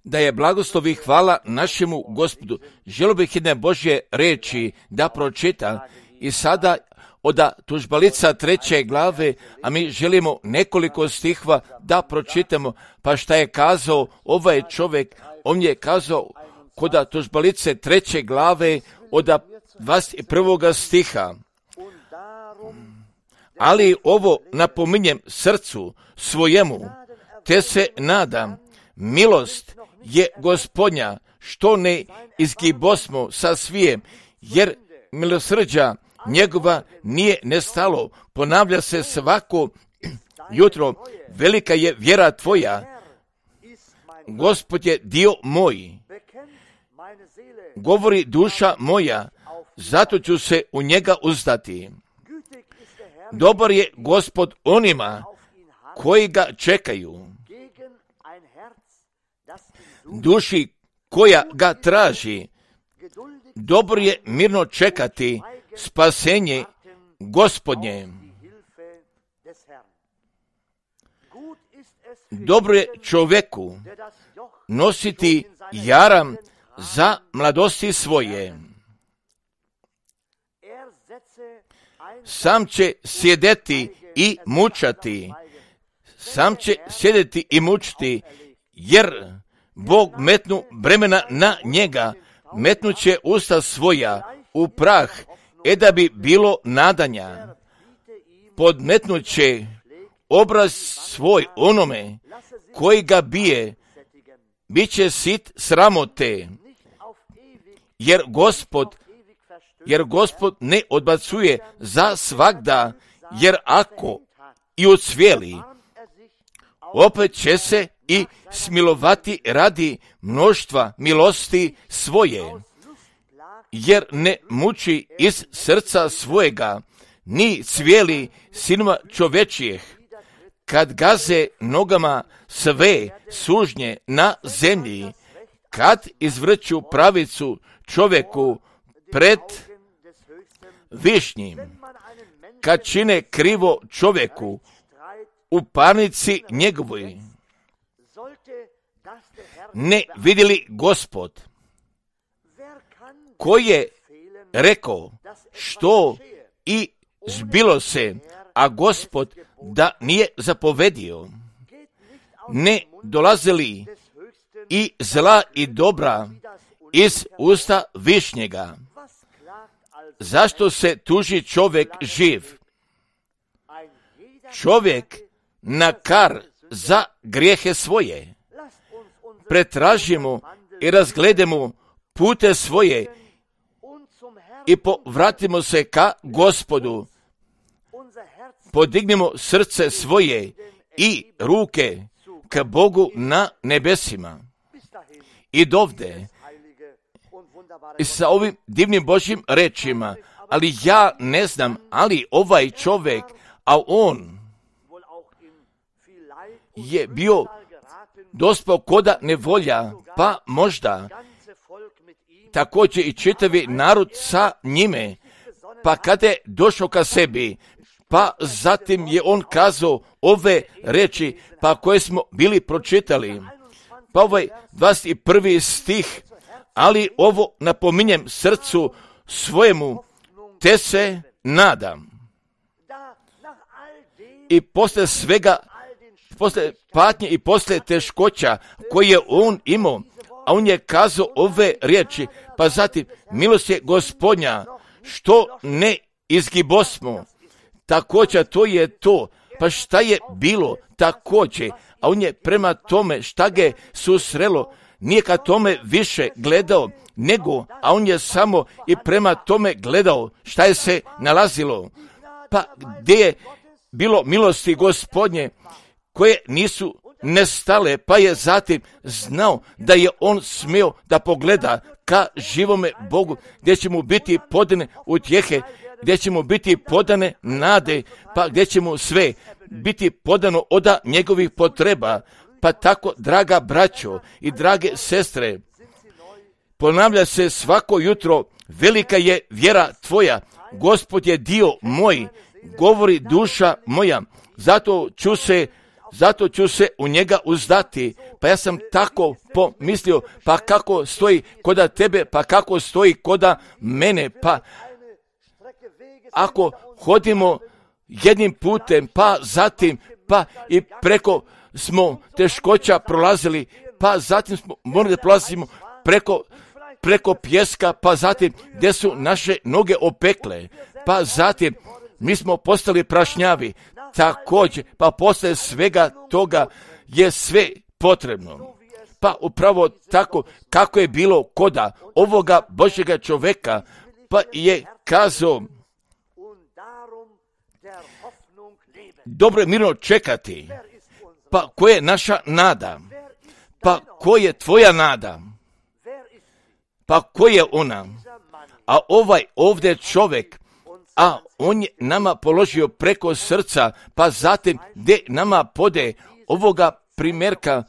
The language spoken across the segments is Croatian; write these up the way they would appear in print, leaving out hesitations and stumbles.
Da je blagoslov i hvala našemu Gospodu. Želio bih jedne Božje reči da pročitam i sada od tužbalica 3. glave, a mi želimo nekoliko stihova da pročitamo. Pa šta je kazao ovaj čovjek? On je kazao kod tužbalice 3. glave od 21. stiha. Ali ovo napominjem srcu svojemu, te se nadam, milost je Gospodnja, što ne izgibosmo sa svijem, jer milosrđa njegova nije nestalo, ponavlja se svako jutro, velika je vjera tvoja, Gospod je dio moj, govori duša moja, zato ću se u njega uzdati. Dobar je Gospod onima koji ga čekaju, duši koja ga traži. Dobro je mirno čekati spasenje Gospodnje. Dobro je čovjeku nositi jaram za mladosti svoje. Sam će sjedeti i mučati. Sam će sjedeti i mučiti, jer Bog metnu bremena na njega, metnuće usta svoja u prah, da bi bilo nadanja. Podmetnuće obraz svoj onome koji ga bije, bit će sit sramote, jer Gospod ne odbacuje za svagda, jer ako i ucvijeli, opet će se i smilovati radi mnoštva milosti svoje, jer ne muči iz srca svojega, ni cvijeli sinova čovečijeh, kad gaze nogama sve sužnje na zemlji, kad izvrću pravicu čovjeku pred višnjim, kad čine krivo čovjeku u parnici njegovoj. Ne vidjeli Gospod, koji je rekao što i zbilo se, a Gospod da nije zapovedio. Ne dolazili i zla i dobra iz usta višnjega. Zašto se tuži čovjek živ? Čovjek na kar za grijehe svoje. Pretražimo i razgledamo pute svoje i povratimo se ka Gospodu. Podignimo srce svoje i ruke ka Bogu na nebesima. I dovde, i sa ovim divnim Božjim rečima, ali ja ne znam, ali ovaj čovjek, a on je bio dospao koda nevolja, pa možda također i čitavi narod sa njime, pa kada je došao ka sebi, pa zatim je on kazao ove reči, pa koje smo bili pročitali, pa ovaj 21. stih, ali ovo napominjem srcu svojemu, te se nadam. I posle svega, posle patnje i posle teškoća koje je on imao, a on je kazao ove riječi, pa zatim milost je Gospodnja, što ne izgibosmo. Također to je to, pa šta je bilo također, a on je prema tome šta ga je susrelo, nije ka tome više gledao, nego, a on je samo i prema tome gledao šta je se nalazilo. Pa gdje je bilo milosti Gospodnje koje nisu nestale, pa je zatim znao da je on smio da pogleda ka živome Bogu, gdje će mu biti podane utjehe, gdje će mu biti podane nade, pa gdje će mu sve biti podano od njegovih potreba. Pa tako, draga braćo i drage sestre, ponavlja se svako jutro, velika je vjera tvoja, Gospod je dio moj, govori duša moja, zato ću se u njega uzdati. Pa ja sam tako pomislio, pa kako stoji koda tebe, pa kako stoji koda mene, pa ako hodimo jednim putem, pa zatim, pa i preko smo teškoća prolazili, pa zatim smo morali da prolazimo preko pjeska, pa zatim gdje su naše noge opekle, pa zatim mi smo postali prašnjavi, također, pa posle svega toga je sve potrebno. Pa upravo tako kako je bilo koda ovoga Božjega čoveka, pa je kazao, dobro je mirno čekati. Pa koja je naša nada? Pa koja je tvoja nada? Pa koja je ona? A ovaj ovdje čovjek, a on je nama položio preko srca, pa zatim gdje nama pode ovoga primjerka,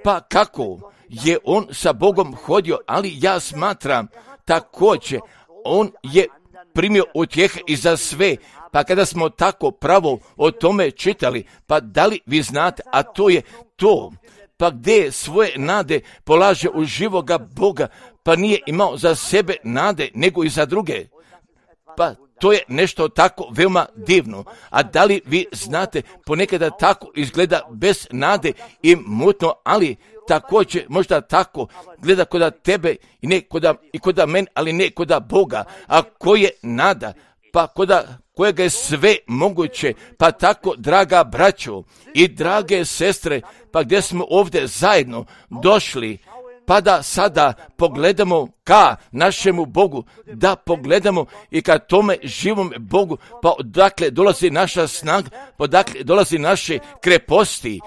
pa kako je on sa Bogom hodio, ali ja smatram također, on je primio utjehe i za sve. Pa kada smo tako pravo o tome čitali, pa da li vi znate, a to je to, pa gdje svoje nade polaže u živoga Boga, pa nije imao za sebe nade, nego i za druge. Pa to je nešto tako veoma divno. A da li vi znate, ponekada tako izgleda bez nade i mutno, ali također možda tako gleda koda tebe i ne koda mene, ali ne koda Boga. A ko je nada? Pa kojega je sve moguće, pa tako, draga braćo i drage sestre, pa gdje smo ovdje zajedno došli, pa da sada pogledamo ka našemu Bogu, da pogledamo i ka tome živom Bogu, pa odakle dolazi naša snaga, pa odakle dolazi naše kreposti,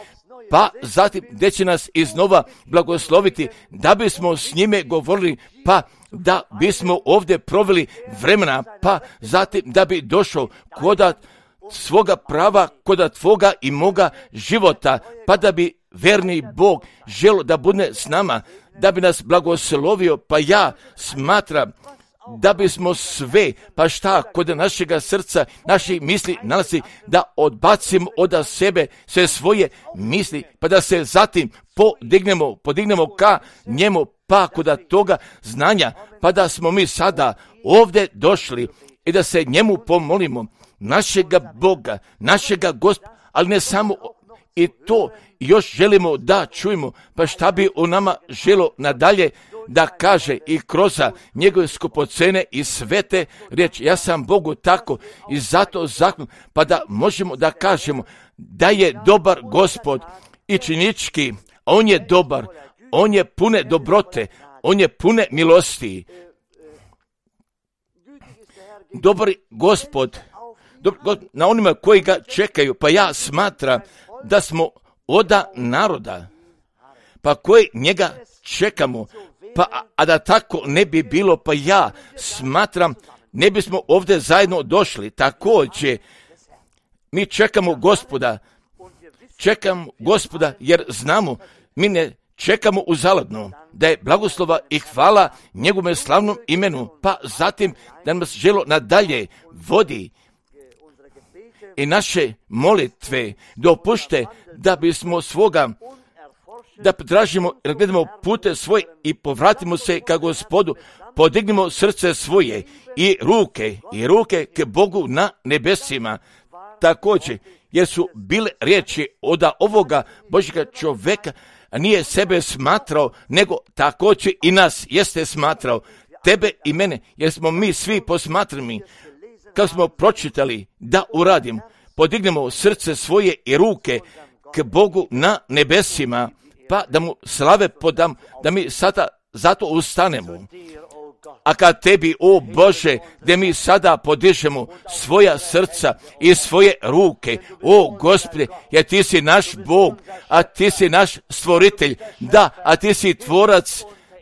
pa zatim gdje će nas iznova blagosloviti, da bismo s njime govorili, pa da bismo ovdje proveli vremena, pa zatim da bi došao koda svoga prava, koda tvoga i moga života, pa da bi verni Bog želio da bude s nama, da bi nas blagoslovio, pa ja smatram da bismo sve, pa šta kod našega srca, naših misli nalazi, da odbacimo od sebe sve svoje misli, pa da se zatim podignemo ka njemu, pa kod toga znanja, pa da smo mi sada ovdje došli i da se njemu pomolimo, našega Boga, našega Gospoda, ali ne samo i to, još želimo da čujemo, pa šta bi o nama želo nadalje da kaže i kroz njegove skupocene i svete riječi. Ja sam Bogu tako i zato zakon, pa da možemo da kažemo da je dobar Gospod i činički, on je dobar, on je pune dobrote, on je pune milosti. Dobar Gospod, na onima koji ga čekaju, pa ja smatram da smo oda naroda, pa koji njega čekamo, pa a da tako ne bi bilo, pa ja smatram ne bismo ovdje zajedno došli. Također mi čekamo Gospoda jer znamo, mi ne čekamo uzaludno, da je blagoslova i hvala njegovom slavnom imenu, pa zatim da nas želo nadalje vodi i naše molitve dopušte da bismo svoga, da tražimo, da gledamo pute svoje i povratimo se ka Gospodu, podignimo srce svoje i ruke k Bogu na nebesima. Također, jer su bile riječi od ovoga Božjega čoveka, nije sebe smatrao, nego također i nas jeste smatrao, tebe i mene, jer smo mi svi posmatrani. Kad smo pročitali da uradim, podignemo srce svoje i ruke k Bogu na nebesima, pa da mu slave podam, da mi sada zato ustanemo. A kad tebi, o Bože, gdje mi sada podižemo svoja srca i svoje ruke, o Gospode, jer ti si naš Bog, a ti si naš stvoritelj, da, a ti si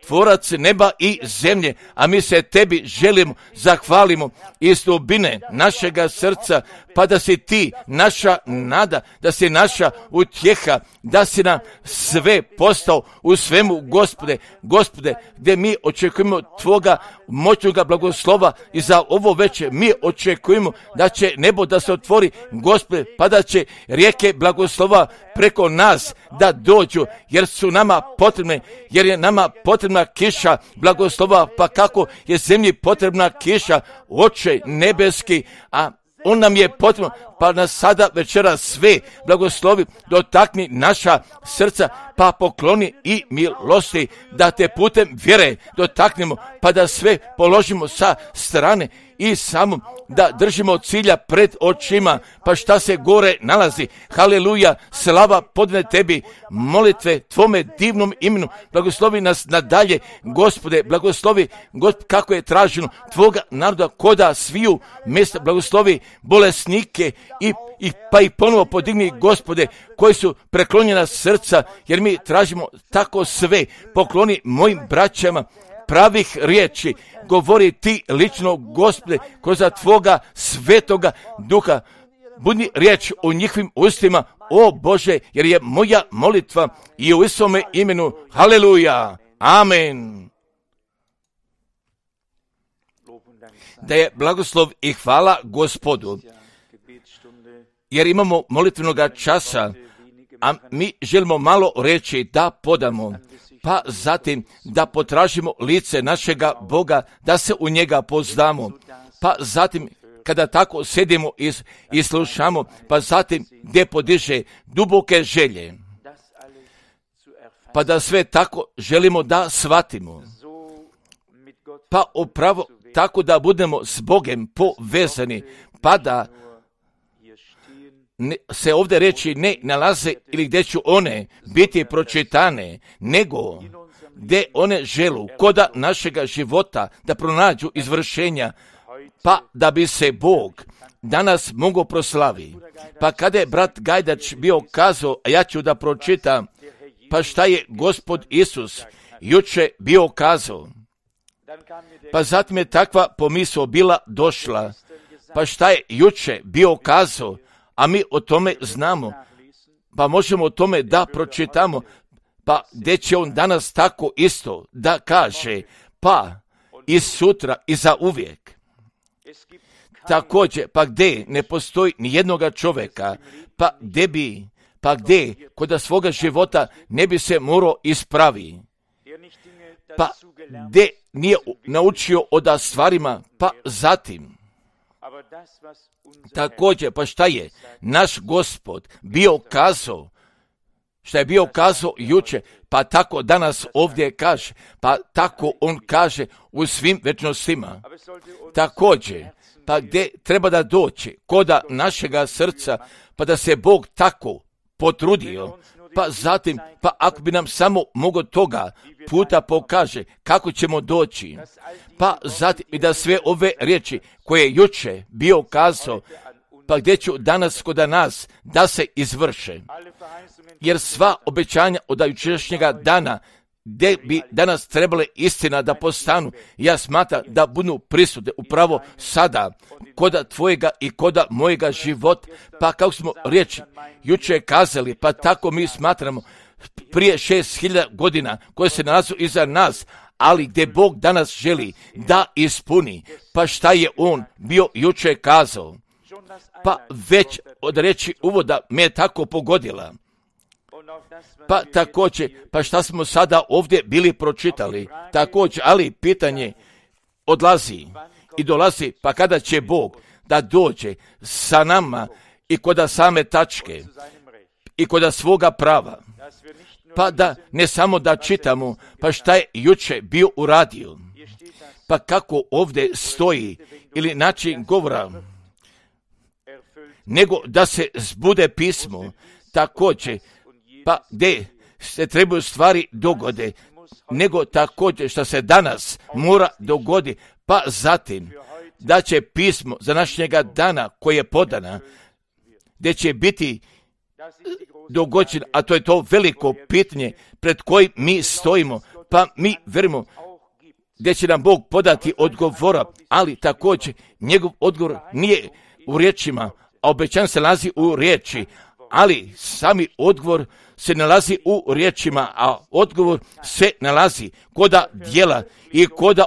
tvorac neba i zemlje, a mi se tebi želimo, zahvalimo iz dubine našega srca, pa da si ti naša nada, da si naša utjeha, da si nam sve postao u svemu, Gospode, gdje mi očekujemo Tvoga moćnoga blagoslova i za ovo večer mi očekujemo da će nebo da se otvori, Gospode, pa da će rijeke blagoslova preko nas da dođu, jer su nama potrebne, jer je nama potrebna kiša blagoslova, pa kako je zemlji potrebna kiša, Oče nebeski, a on nam je potrebno, pa nas sada večera sve blagoslovi, dotakni naša srca, pa pokloni i milosti, da te putem vjere dotaknemo, pa da sve položimo sa strane i samo da držimo cilja pred očima, pa šta se gore nalazi. Haleluja, slava podne tebi, molitve tvome divnom imenu, blagoslovi nas nadalje, Gospode, blagoslovi kako je traženo tvoga naroda koda sviju mjesta, blagoslovi bolesnike pa i ponovo podigni, Gospode, koji su preklonjena srca, jer mi tražimo tako sve. Pokloni mojim braćama pravih riječi, govori ti lično, Gospode, kroz tvoga svetoga duha. Budi riječ u njihovim ustima, o Bože, jer je moja molitva i u Isome imenu. Haleluja, amen. Da je blagoslov i hvala Gospodu, jer imamo molitvenoga časa, a mi želimo malo reći da podamo, pa zatim da potražimo lice našega Boga, da se u njega poznamo, pa zatim kada tako sedimo i slušamo, pa zatim gdje podiže duboke želje, pa da sve tako želimo da shvatimo, pa upravo tako da budemo s Bogem povezani, pa da se ovdje reći ne nalaze ili gdje ću one biti pročitane, nego gdje one želu koda našega života da pronađu izvršenja, pa da bi se Bog danas mogao proslavi. Pa kada je brat Gajdač bio kazao, a ja ću da pročitam, pa šta je Gospod Isus juče bio kazao, pa zatim je takva pomisao bila došla, pa šta je juče bio kazao, a mi o tome znamo, pa možemo o tome da pročitamo, pa gdje će on danas tako isto da kaže, pa i sutra i za uvijek. Također, pa gdje ne postoji ni jednoga čovjeka, pa gdje kod svoga života ne bi se morao ispravi, pa gdje nije naučio od stvarima, pa zatim. Također, pa šta je naš Gospod bio kazao, šta je bio kazao juče, pa tako danas ovdje kaže, pa tako on kaže u svim večnostima. Također, pa gdje treba da doći koda našega srca, pa da se Bog tako potrudio, pa zatim, pa ako bi nam samo mogo toga puta pokaže kako ćemo doći, pa zatim i da sve ove riječi koje je juče bio kazao, pa gdje ću danas kod nas da se izvrše. Jer sva obećanja od jučerašnjega dana, gdje bi danas trebale istina da postanu, ja smatram da budu prisutne upravo sada, koda tvojega i koda mojega života, pa kako smo riječi juče kazali, pa tako mi smatramo prije 6.000 godina koje se nalazu iza nas, ali gdje Bog danas želi da ispuni, pa šta je on bio juče kazao, pa već od reći uvoda me je tako pogodila. Pa također, pa šta smo sada ovdje bili pročitali, također, ali pitanje odlazi i dolazi, pa kada će Bog da dođe sa nama i koda same tačke i koda svoga prava, pa da ne samo da čitamo, pa šta je juče bio uradio, pa kako ovdje stoji ili način govora, nego da se zbude pismo, također, pa gdje se trebaju stvari dogode, nego također što se danas mora dogodi, pa zatim da će pismo za našega dana koje je podana, gdje će biti dogođen, a to je to veliko pitanje pred kojim mi stojimo, pa mi verimo gdje će nam Bog podati odgovora, ali također njegov odgovor nije u riječima, a obećan se nalazi u riječi, ali sami odgovor se nalazi u riječima, a odgovor se nalazi koda djela i koda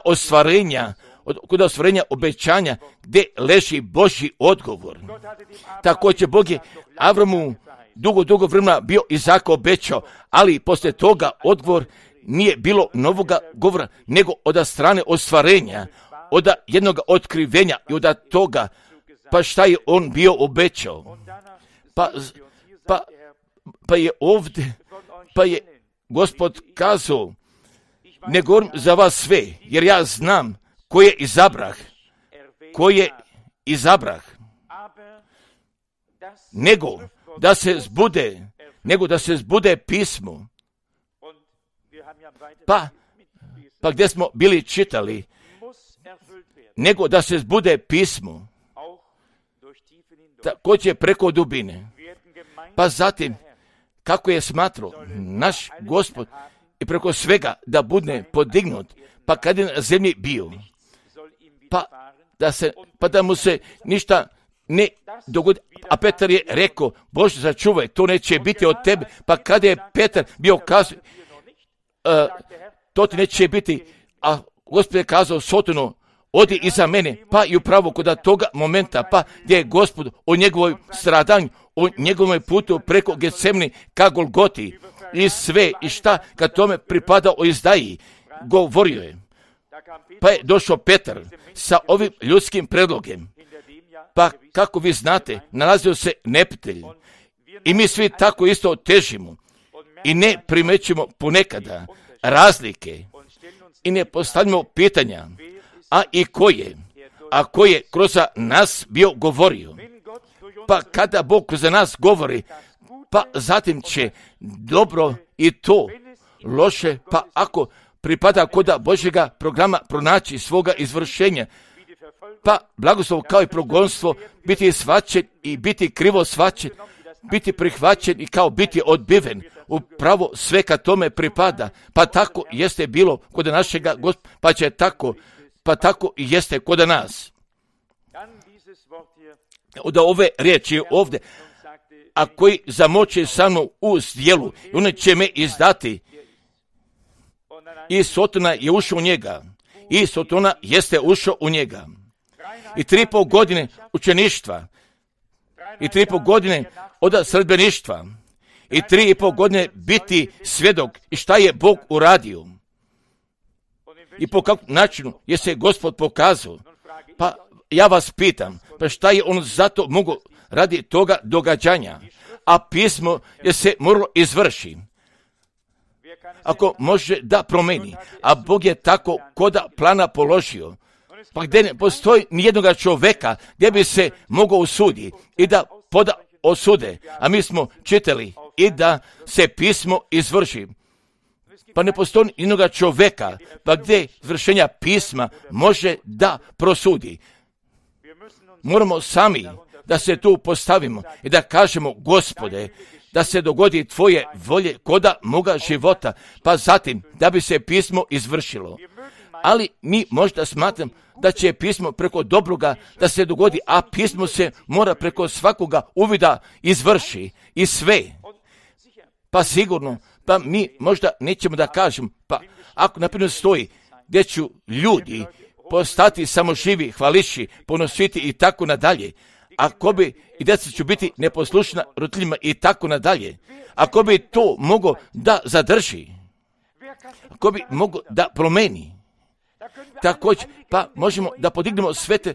ostvarenja obećanja gdje leži Božji odgovor. Također Bog je Avramu dugo vremena bio Izaka obećao, ali poslije toga odgovor nije bilo novoga govora, nego od strane ostvarenja, od jednog otkrivenja i od toga, pa šta je on bio obećao. Pa je ovdje, pa je Gospod kazao, ne govorim za vas sve, jer ja znam ko je izabrah, nego da se zbude pismo. Pa gdje smo bili čitali, nego da se zbude pismo, također preko dubine. Pa zatim, kako je smatrao naš Gospod i preko svega da bude podignut, pa kad je na zemlji bio, pa da mu se ništa ne dogodi. A Petar je rekao, Bože sačuvaj, to neće biti od tebe. Pa kada je Petar bio kazao, to ti neće biti, a Gospod je kazao Sotonu, odi iza mene, pa i upravo kod toga momenta, pa gdje je Gospod o njegovoj stradanju, o njegovom putu preko Getsemani ka Golgoti i sve i šta kad tome pripada o izdaji, govorio je. Pa je došao Petar sa ovim ljudskim predlogom. Pa kako vi znate, nalazio se neprijatelj i mi svi tako isto težimo i ne primećujemo ponekada razlike i ne postavljamo pitanja, a i ko je kroz nas bio govorio. Pa kada Bog kroz nas govori, pa zatim će dobro i to loše, pa ako pripada kod Božjega programa pronaći svoga izvršenja, pa blagoslov kao i progonstvo biti shvaćen i biti krivo shvaćen, biti prihvaćen i kao biti odbiven. Upravo sve kad tome pripada, pa tako jeste bilo kod našega Gospoda, pa tako i jeste kod nas. Od ove riječi ovdje, a koji zamoće sa mnom u djelu, on će me izdati. I Sotona je ušao u njega. I Sotona jeste ušao u njega. I 3,5 godine učeništva. I 3,5 godine od sredbeništva. I 3,5 godine biti svjedok. I šta je Bog uradio? I po kakvom načinu je se Gospod pokazao? Pa ja vas pitam, pa šta je on zato mogao radi toga događanja? A pismo je se moralo izvrši. Ako može da promeni, a Bog je tako koda plana položio, pa gdje ne postoji nijednoga čovjeka gdje bi se mogao osuditi i da poda osude, a mi smo čitali i da se pismo izvrši. Pa ne postoji nijednoga čovjeka, pa gdje izvršenja pisma može da prosudi. Moramo sami da se tu postavimo i da kažemo, Gospode, da se dogodi tvoje volje koda moga života, pa zatim da bi se pismo izvršilo. Ali mi možda smatram da će pismo preko dobroga da se dogodi, a pismo se mora preko svakoga uvida izvrši i sve. Pa sigurno, pa mi možda nećemo da kažemo, pa ako naprimjer stoji gdje ću ljudi postati samoživi, hvališi, ponositi i tako nadalje, ako bi i djeca ću biti neposlušna roditeljima i tako nadalje, ako bi to mogo da zadrži, ako bi mogo da promeni, također, pa možemo da podignemo sve te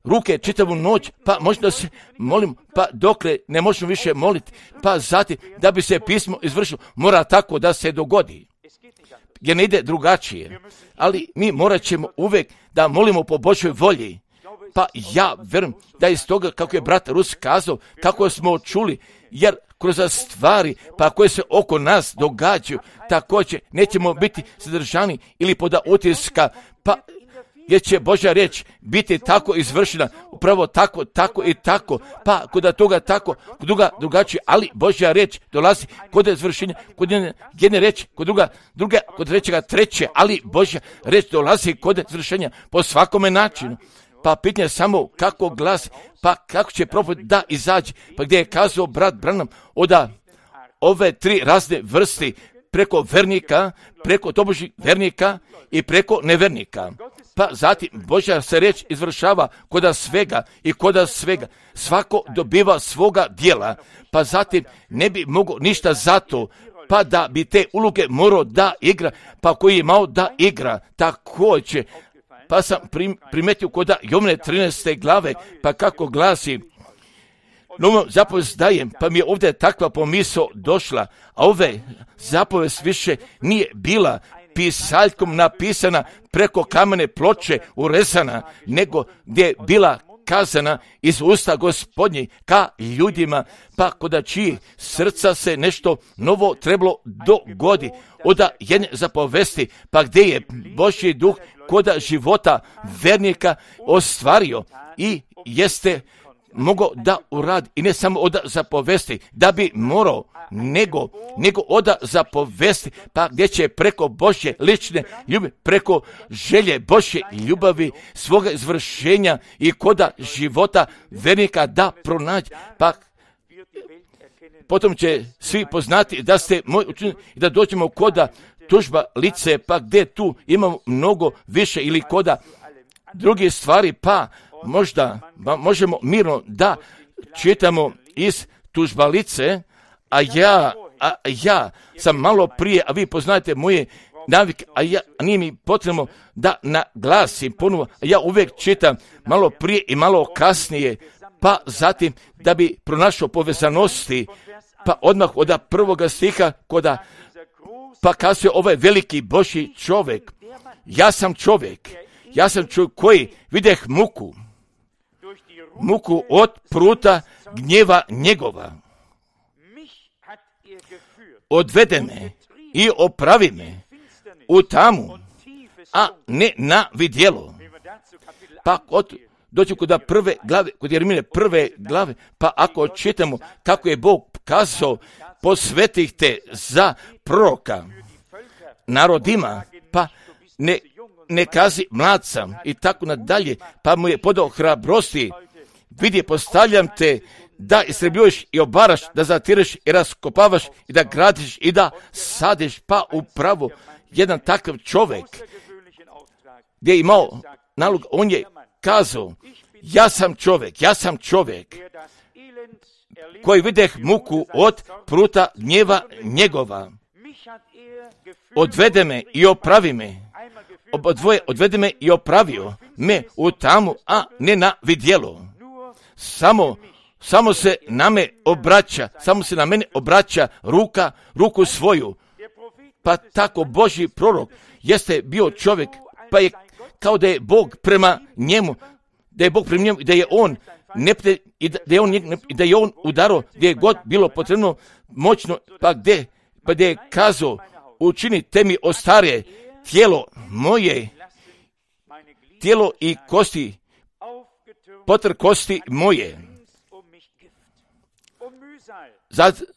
ruke čitavu noć, pa možda se molim, pa dokle ne možemo više moliti, pa zatim da bi se pismo izvršilo, mora tako da se dogodi, jer ne ide drugačije, ali mi morat ćemo uvijek da molimo po Božoj volji. Pa ja vjerujem da iz toga, kako je brat Rus kazao, kako smo čuli, jer kroz stvari pa koje se oko nas događaju, također nećemo biti zadržani ili poda utiska, pa jer će Božja riječ biti tako izvršena, upravo tako i tako, pa kod toga tako, kod druga drugačije, ali Božja riječ dolazi kod izvršenja, kod jedne riječi, kod druge, kod trećega treće, ali Božja riječ dolazi kod izvršenja po svakome načinu. Pa pitanje samo kako glasi, pa kako će propovjed da izaći, pa gdje je kazao brat Branham oda ove 3 razne vrste, preko vernika, preko tobožnjih vernika i preko nevernika. Pa zatim Božja se riječ izvršava koda svega i koda svega. Svako dobiva svoga dijela, pa zatim ne bi mogao ništa zato, pa da bi te uloge morao da igra, pa koji je imao da igra, također. Pa sam primetio koda Jovne 13. glave, pa kako glasi, novom zapovest dajem, pa mi je ovdje takva pomisao došla, a ove zapovest više nije bila pisaljkom napisana preko kamene ploče urezana, nego gdje je bila kazana iz usta Gospodnje ka ljudima, pa koda čiji srca se nešto novo trebalo dogodi, oda jedne zapovesti, pa gdje je Božji duh koda života vernika ostvario i jeste mogao da uradi, i ne samo oda zapovesti, da bi morao, nego oda zapovesti, pa gdje će preko Božje lične ljubavi, preko želje Božje ljubavi, svoga izvršenja i koda života vernika da pronaći, pa potom će svi poznati da ste moj učenik i da dođemo koda tužba lice, pa gdje tu imamo mnogo više ili koda druge stvari, pa možda možemo mirno da čitamo iz tužbalice, a ja sam malo prije, a vi poznajete moje navike, a nije mi potrebno da naglasim ponovo, a ja uvijek čitam malo prije i malo kasnije, pa zatim da bi pronašao povezanosti, pa odmah od prvoga stiha koda pa kazuje ovaj veliki Božji čovjek, ja sam čovjek koji videh muku od pruta gnjeva njegova. Odvede me i opravi me u tamu, a ne na vidjelo. Pa dođu kod prve glave, kod Jeremije 1. glave, pa ako čitamo kako je Bog kazao, posvetih te za proroka narodima, pa ne kazi mlad sam i tako nadalje, pa mu je podao hrabrosti, vidi, postavljam te da istrebljuješ i obaraš, da zatireš i raskopavaš i da gradiš i da sadiš, pa upravo jedan takav čovjek gdje je imao nalog, on je kazao, ja sam čovjek koji videh muku od pruta gnjeva njegova. Odvede me i opravi me. Odvede me i opravio me u tamu, a ne na vidjelo. Samo se na mene obraća ruku svoju. Pa tako Božji prorok jeste bio čovjek, pa je kao da je Bog prema njemu, da je on da je on udarao gdje je god bilo potrebno moćno, pa gdje je kazao, učinite mi ostarije tijelo i kosti, potr kosti moje.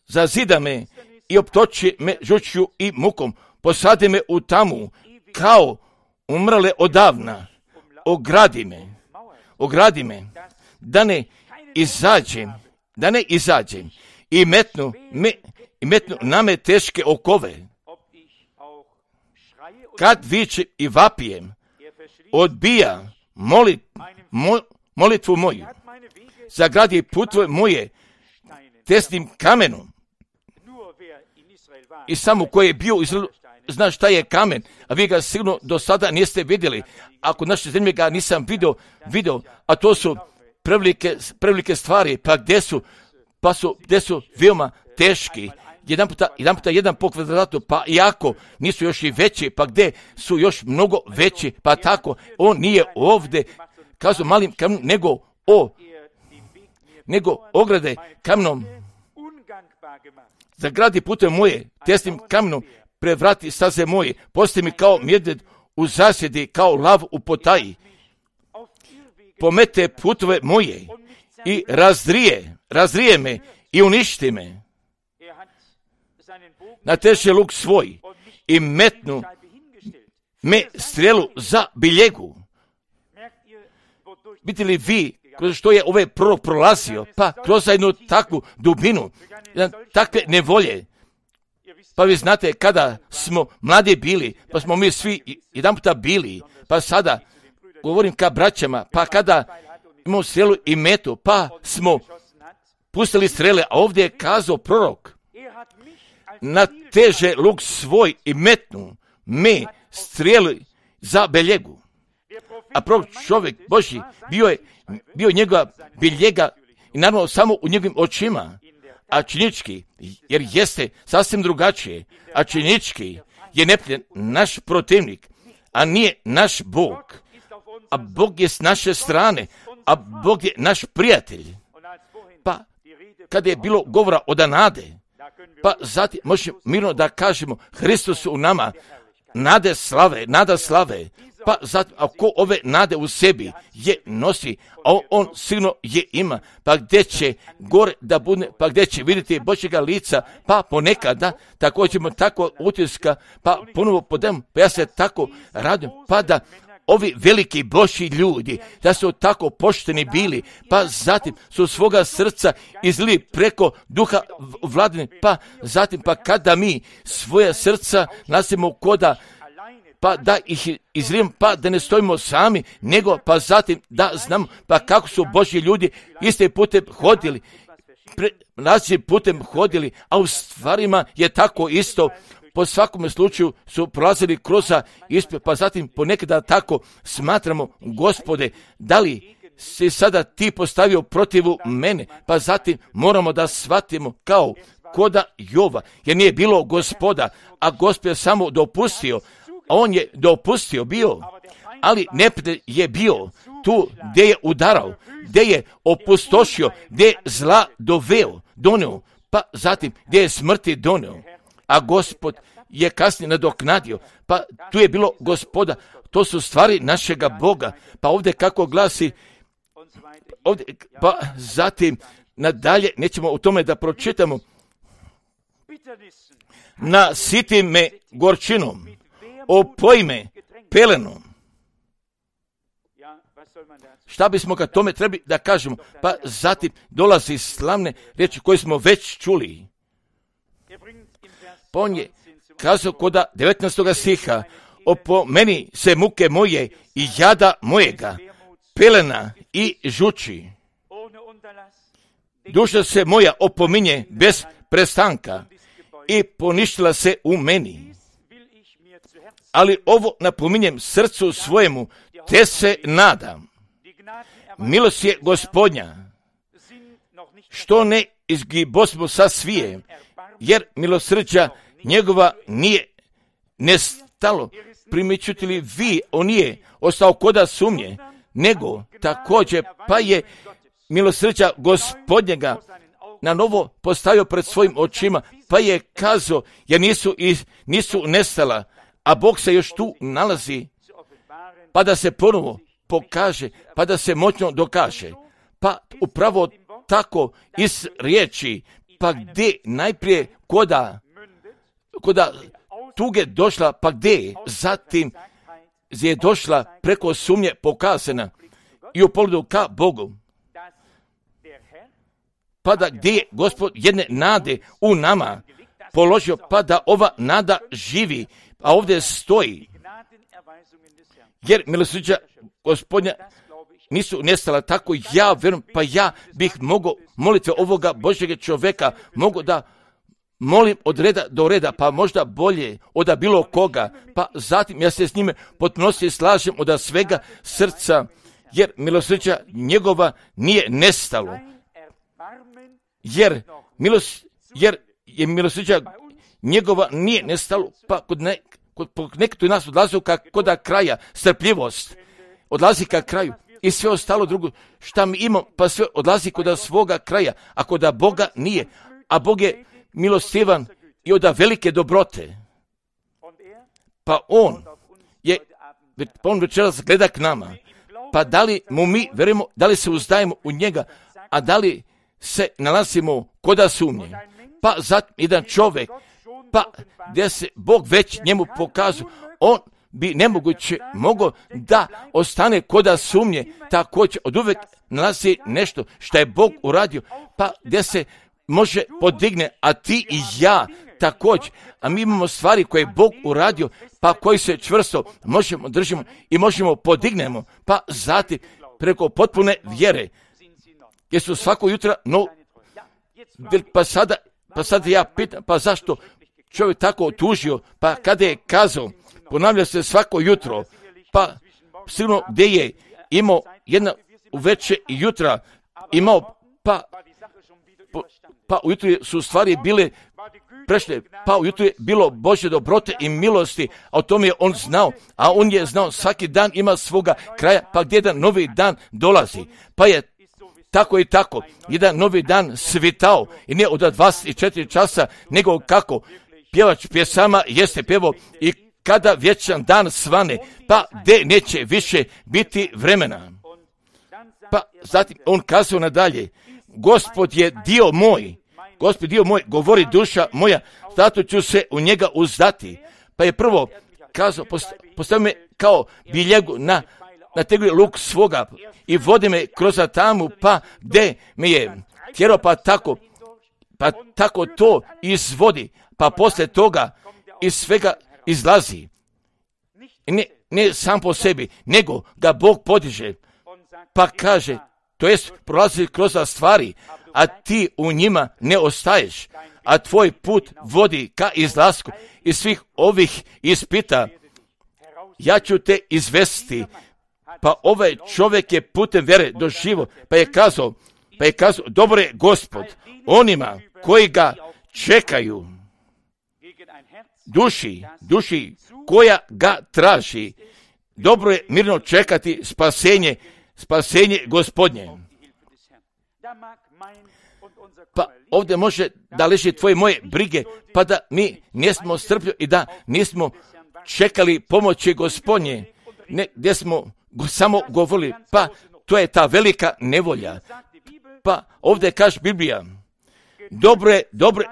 Zazida me i optoči me žučju i mukom, posadi me u tamu, kao umrle odavna, ogradi me, da ne izađem i metnu na me teške okove. Kad vičem i vapijem, odbija molitvu moju, zagradi putove moje tesnim kamenom. I samo koji je bio zna šta je kamen, a vi ga sigurno do sada niste vidjeli. Ako naše zemlje ga nisam vidio, a to su prevelike stvari, pa gdje su veoma teški. Jedan po kvadratu, pa iako nisu još i veći, pa gdje su još mnogo veći, pa tako, on nije ovdje kazao malim kamenom, nego ograde kamenom. Zagradi pute moje, tesnim kamenom, prevrati staze moje, postavi mi kao medved u zasjedi, kao lav u potaji. Pomete putove moje i razrije me i uništi me. Nateže luk svoj i metnu me strelu za biljegu. vidite li vi kroz što je ovaj prorok prolazio, pa kroz jednu takvu dubinu, takve nevolje. Pa vi znate, kada smo mladi bili, pa smo mi svi jedan puta bili, pa sada govorim ka braćama, pa kada imamo strelu i metu, pa smo pustili strele, a ovdje je kazao prorok, nateže luk svoj i metnu me streli za beljegu. A prorok čovjek Božji bio njegova biljega i naravno samo u njegovim očima, a činički, jer jeste sasvim drugačije, a činički je neprijatelj naš protivnik, a nije naš Bog, a Bog je s naše strane, a Bog je naš prijatelj. Pa kada je bilo govora o nade, pa zatim možemo mirno da kažemo Hristos u nama, nada slave, pa zatim ako ove nade u sebi je nosi, a on sigurno je ima, pa gdje će gore da bude, pa gdje će vidjeti Božjega lica, pa ponekada također ćemo tako utiska, pa ponovo podem, pa ja se tako radim, pa da ovi veliki Božji ljudi, da su tako pošteni bili, pa zatim su svoga srca izlili preko duha vladine, pa zatim pa kada mi svoje srca nasimo koda, pa da ih izlijemo, pa da ne stojimo sami, nego pa zatim da znamo pa kako su Božji ljudi iste putem hodili, različitim putem hodili, a u stvarima je tako isto. Po svakom slučaju su prolazili kroz ispit, pa zatim ponekada tako smatramo, Gospode, da li si sada ti postavio protivu mene, pa zatim moramo da shvatimo kao koda Jova, jer nije bilo Gospoda, a Gospod je samo dopustio, a on je dopustio bio, ali neprijatelj je bio tu gdje je udarao, gdje je opustošio, gdje je zla doneo, pa zatim gdje je smrti doneo. A Gospod je kasnije nadoknadio, pa tu je bilo Gospoda, to su stvari našega Boga, pa ovdje kako glasi, ovdje, pa zatim nadalje, nećemo o tome da pročitamo, nasiti me gorčinom, opoji me pelenom. Šta bismo kad tome trebali da kažemo? Pa zatim dolazi slavne riječi koje smo već čuli. Pa on je kazao koda 19. stiha, opomeni se muke moje i jada mojega, pelena i žuči. Duša se moja opominje bez prestanka i poništila se u meni. Ali ovo napominjem srcu svojemu, te se nadam. Milost je Gospodnja, što ne izgibosmo sa svije, jer milosrđa njegova nije nestalo. Primičuti li vi, on nije ostao koda sumnje, nego također pa je milosrđa Gospodnjega na novo postavio pred svojim očima, pa je kazao, jer nisu nestala, a Bog se još tu nalazi, pa da se ponovo pokaže, pa da se moćno dokaže. Pa upravo tako iz riječi, pa gdje najprije koda tuge došla, pa gdje zatim je došla preko sumnje pokazana i u pogledu ka Bogu. Pa da gdje je Gospod jedne nade u nama položio, pa da ova nada živi, a ovdje stoji. Jer milosrđa Gospodnja nisu nestala, tako ja vjerujem, pa ja bih mogao molitve ovoga Božjega čovjeka, mogu da molim od reda do reda, pa možda bolje od bilo koga, pa zatim ja se s njime potpunosti slažem od svega srca, jer milosrđa njegova nije nestalo, jer je milosrđa njegova nije nestalo, pa kod nekto nas odlazi kod kraja, strpljivost odlazi ka kraju i sve ostalo drugo šta mi imamo, pa sve odlazi kod svoga kraja, a kod Boga nije, a Bog je milostivan i od velike dobrote, pa on večeras gleda k nama, pa da li mu mi verujemo, da li se uzdajemo u njega, a da li se nalazimo koda sumnje. Pa zatim jedan čovjek, pa gdje se Bog već njemu pokazuje, on bi nemoguće moglo da ostane koda sumnje, također od uvek nalazi nešto što je Bog uradio, pa gdje se može podigne, a ti i ja također, a mi imamo stvari koje je Bog uradio, pa koji se čvrsto možemo držimo i možemo podignemo, pa zatim preko potpune vjere, jer su svako jutro, pa sada ja pitam, pa zašto čovjek tako tužio, pa kada je kazao, ponavlja se svako jutro, pa sigurno gdje je imao jedna uveče i jutra, imao, pa ujutro su stvari bile prešle, pa ujutro je bilo Božje dobrote i milosti, a o tome je on znao, a on je znao svaki dan ima svoga kraja, pa gdje jedan novi dan dolazi, pa je tako i tako, jedan novi dan svitao i ne od 24 časa, nego kako pjevač pjesama jeste pjevo i kada vječan dan svane, pa gdje neće više biti vremena. Pa zatim on kazao nadalje, Gospod je dio moj, govori duša moja, zato ću se u njega uzdati. Pa je prvo kazao, postavi me kao biljegu na tegli luk svoga i vodi me kroz tamu, pa gdje me je tjerao, pa tako to izvodi, pa poslije toga iz svega izlazi. Ne sam po sebi, nego ga Bog podiže, pa kaže, to jest prolazi kroz stvari, a ti u njima ne ostaješ, a tvoj put vodi ka izlasku iz svih ovih ispita. Ja ću te izvesti. Pa ovaj čovjek je putem vjere doživo, pa je kazao, dobro je Gospod onima koji ga čekaju, duši koja ga traži. Dobro je mirno čekati spasenje Gospodnje. Pa ovdje može da leži tvoje moje brige, pa da mi nismo strpljivi i da nismo čekali pomoći Gospodnje, ne, gdje smo samo govorili, pa to je ta velika nevolja. Pa ovdje kaže Biblija, dobro je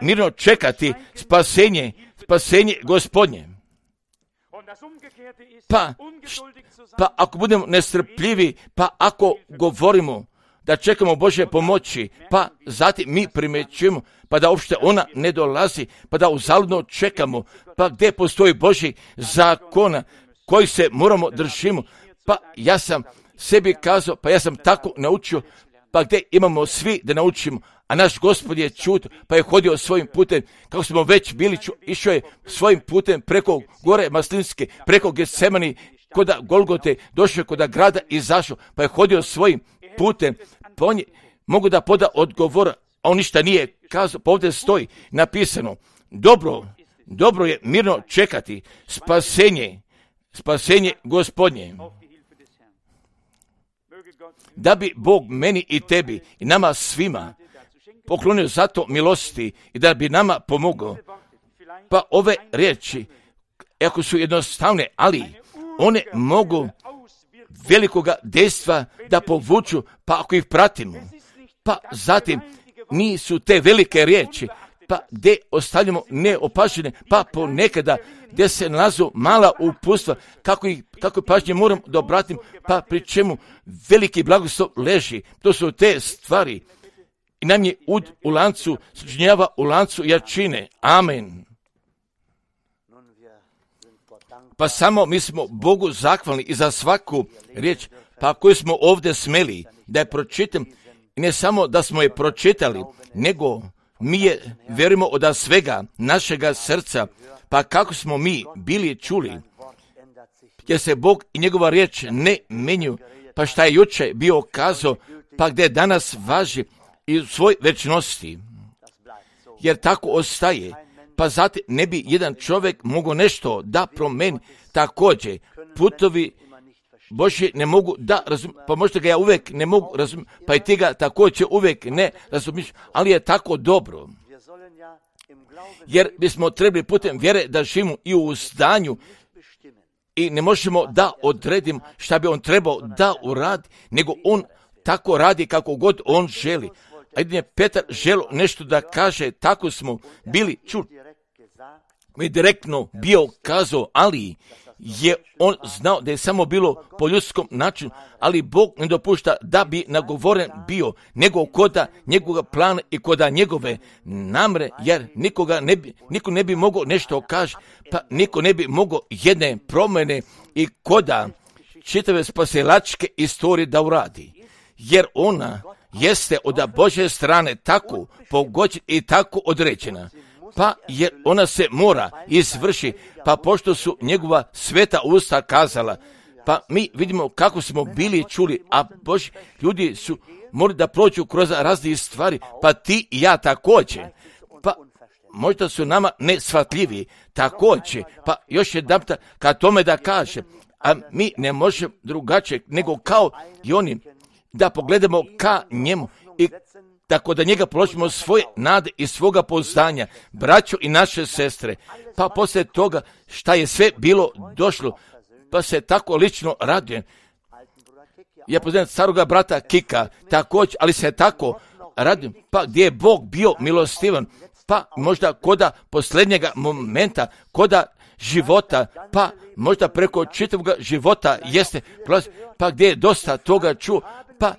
mirno čekati spasenje Gospodnje. Pa ako budemo nestrpljivi, pa ako govorimo da čekamo Božje pomoći, pa zatim mi primjećujemo, pa da uopšte ona ne dolazi, pa da uzaludno čekamo, pa gdje postoji Božji zakona koji se moramo držimo, pa ja sam sebi kazao, pa ja sam tako naučio, pa gdje imamo svi da naučimo, a naš Gospod je čut, pa je hodio svojim putem, kako smo već bili, išao je svojim putem preko gore Maslinske, preko Getsemani, koda Golgote, došao je koda grada i izašao, pa je hodio svojim putem, pa on je mogu da poda odgovora, a on ništa nije kazao, pa ovdje stoji napisano, dobro je mirno čekati spasenje Gospodnje. Da bi Bog meni i tebi i nama svima poklonio zato milosti i da bi nama pomogao. Pa ove riječi, ako su jednostavne, ali one mogu velikoga dejstva da povuču, pa ako ih pratimo. Pa zatim nisu te velike riječi, pa gdje ostavljamo neopažene, pa ponekada gdje se nalazu mala upustva, kako pažnje moram da obratim, pa pri čemu veliki blagoslov leži. To su te stvari. I nam je ud u lancu, sačinjava u lancu jačine. Amen. Pa samo mi smo Bogu zahvalni i za svaku riječ, pa koju smo ovdje smeli da je pročitam, i ne samo da smo je pročitali, nego mi je vjerujemo od svega našega srca, pa kako smo mi bili čuli, jer se Bog i njegova riječ ne menju, pa šta je juče bio kazao, pa gdje danas važi i u svoj večnosti, jer tako ostaje, pa zatim ne bi jedan čovjek mogao nešto da promeni. Također, putovi Božji ne mogu da razumiju, pa možda ga ja uvijek ne mogu razumjeti, pa i ti ga također uvijek ne razumiješ, ali je tako dobro. Jer bismo trebali putem vjere da živimo i u zdanju i ne možemo da odredimo šta bi on trebao da uradi, nego on tako radi kako god on želi. A jedin je Petar želio nešto da kaže, tako smo bili čuli. mi direktno bio kazao, ali je on znao da je samo bilo po ljudskom načinu, ali Bog ne dopušta da bi nagovoren bio, nego koda njegovog plana i koda njegove namre, jer niko ne bi mogao nešto kaži, pa niko ne bi mogao jedne promjene i koda čitave spasilačke istorije da uradi, jer ona jeste od Božje strane tako pogođena i tako određena, pa jer ona se mora izvrši, pa pošto su njegova sveta usta kazala, pa mi vidimo kako smo bili čuli, a Božji ljudi su morali da prođu kroz razne stvari, pa ti i ja također, pa možda su nama nesvatljivi također, pa još jedanput ka tome da kaže, a mi ne možemo drugačije nego kao i oni da pogledamo ka njemu i tako da njega položimo svoje nade i svoga pouzdanja, braćo i naše sestre, pa poslije toga šta je sve bilo došlo, pa se tako lično radujem. Ja poznajem staroga brata Kika također, ali se tako radujem, pa gdje je Bog bio milostivan, pa možda koda posljednjega momenta, koda života, pa možda preko čitavog života jeste, pa gdje je dosta toga čuo, pa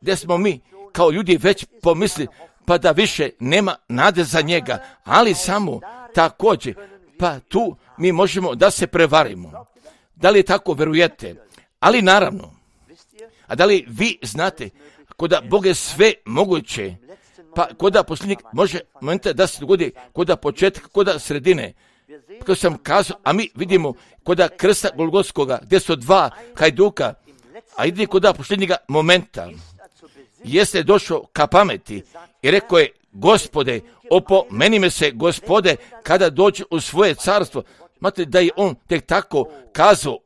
gdje smo mi kao ljudi već pomisli, pa da više nema nade za njega, ali samo također, pa tu mi možemo da se prevarimo. Da li tako verujete? Ali naravno, a da li vi znate, koda Bog je sve moguće, pa koda posljednjeg može momenta da se dogodi, koda početka, koda sredine, kako sam kazao, a mi vidimo koda krsta Golgotskoga, gdje su dva hajduka, a ide koda posljednjega momenta, jeste došao ka pameti i rekao je, Gospode, opomeni me se, Gospode, kada dođe u svoje carstvo. Znate da je on tek tako kazao,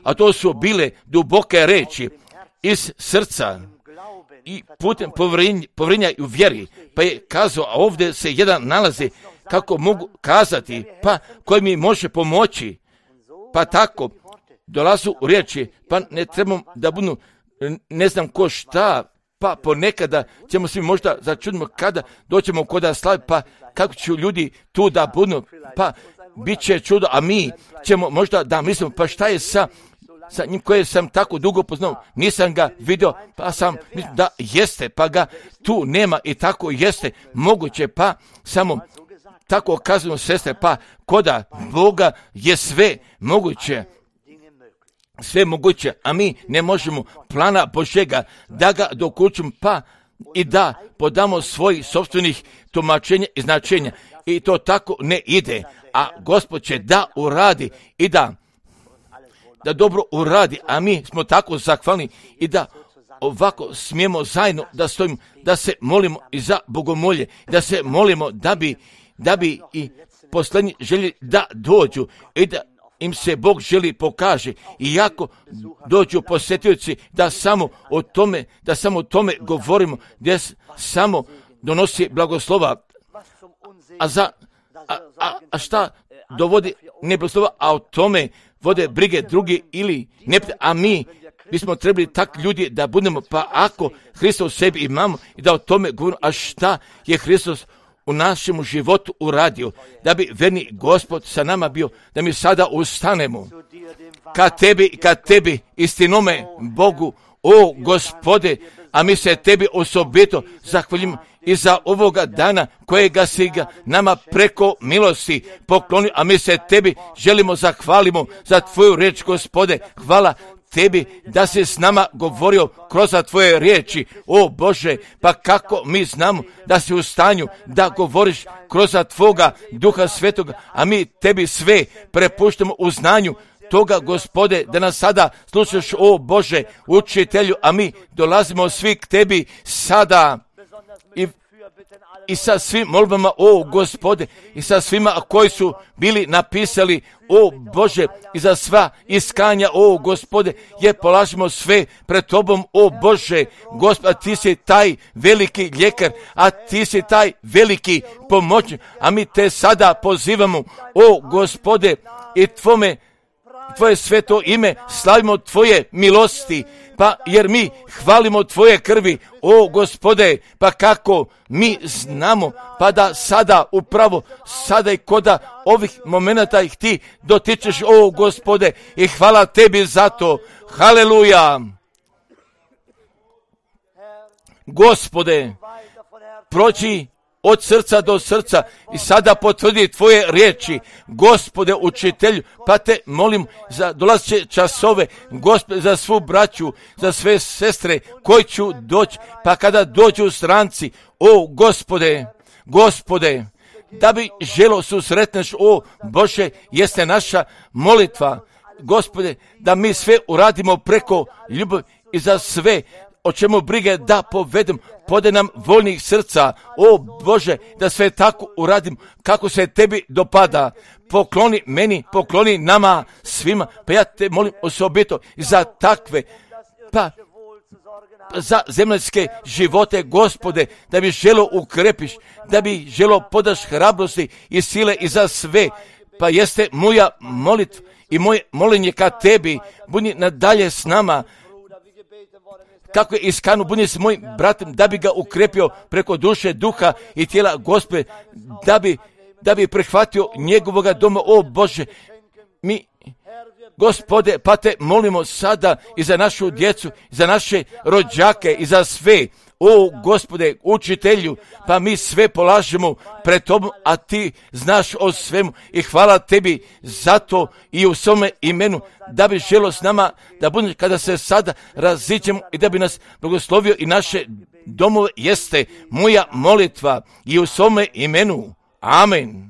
a to su bile duboke reči iz srca i putem povjerenja i u vjeri, pa je kazao, a ovdje se jedan nalazi, kako mogu kazati, pa koji mi može pomoći, pa tako dolazu u riječi, pa ne trebamo da budu, ne znam ko šta, pa ponekada ćemo svi možda začudimo kada doćemo koda slavi, pa kako će ljudi tu da budu, pa bit će čudo, a mi ćemo možda da mislimo, pa šta je sa njim koje sam tako dugo poznao, nisam ga vidio, pa sam mislim da jeste, pa ga tu nema i tako jeste moguće, pa samo tako kazujemo sestre, pa koda Boga je sve moguće, a mi ne možemo plana Božjega da ga dokučimo, pa i da podamo svojih sopstvenih tumačenja i značenja. I to tako ne ide, a Gospod će da uradi i da dobro uradi, a mi smo tako zahvalni i da ovako smijemo zajedno da stojimo, da se molimo i za bogomolje, da se molimo da bi i posljednji željeli da dođu i da im se Bog želi pokaže, i jako dođu posjetioci da samo o tome govorimo, gdje samo donosi blagoslova, a šta dovodi ne blagoslova, a o tome vode brige drugi ili ne, a mi bismo trebali tak ljudi da budemo, pa ako Hristos sebi imamo i da o tome govorimo, a šta je Hristos u našem životu uradio, da bi verni Gospod sa nama bio, da mi sada ustanemo ka tebi istinome Bogu, o Gospode, a mi se tebi osobito zahvaljujemo i za ovoga dana kojega si ga nama preko milosti poklonio, a mi se tebi želimo zahvalimo za tvoju riječ, Gospode. Hvala tebi da si s nama govorio kroz tvoje riječi, o Bože, pa kako mi znamo da si u stanju da govoriš kroz tvoga Duha Svetoga, a mi tebi sve prepuštamo u znanju toga, Gospode, da nas sada slušaš, o Bože, učitelju, a mi dolazimo svi k tebi sada i sa svim molbama, o Gospode, i sa svima koji su bili napisali, o Bože, i za sva iskanja, o Gospode, je polažimo sve pred tobom, o Bože, Gospod, ti si taj veliki ljekar, a ti si taj veliki pomoćnik, a mi te sada pozivamo, o Gospode, i tvome Tvoje sveto ime, slavimo Tvoje milosti, pa jer mi hvalimo Tvoje krvi, o Gospode, pa kako mi znamo, pa da sada upravo, sada i koda ovih momenata ih Ti dotičeš, o Gospode, i hvala Tebi za to, haleluja. Gospode, prođi od srca do srca i sada potvrdi Tvoje riječi, Gospode učitelju, pa Te molim za dolazeće časove, Gospode, za svu braću, za sve sestre koji ću doći, pa kada dođu stranci, o Gospode, da bi želo susretneš, o Bože, jeste naša molitva, Gospode, da mi sve uradimo preko ljubavi i za sve o čemu brige da povedem, podaj nam voljnih srca, o Bože, da sve tako uradim kako se Tebi dopada. Pokloni meni, pokloni nama svima, pa ja Te molim osobito za takve, pa za zemaljske živote, Gospode, da bi želo ukrepiš, da bi želo podaš hrabrosti i sile i za sve, pa jeste moja molitva i moje molenje ka Tebi, budi nadalje s nama, kako je iskanu, budi s mojim bratem, da bi ga ukrepio preko duše, duha i tijela, Gospode, da bi prihvatio njegovoga doma, o Bože, mi, Gospode, pa Te molimo sada i za našu djecu, za naše rođake i za sve, o Gospode, učitelju, pa mi sve polažemo pred Tobom, a Ti znaš o svemu i hvala Tebi za to i u svome imenu, da bi želo s nama, da budeš kada se sada raziđemo i da bi nas blagoslovio i naše domove, jeste moja molitva i u svome imenu. Amen.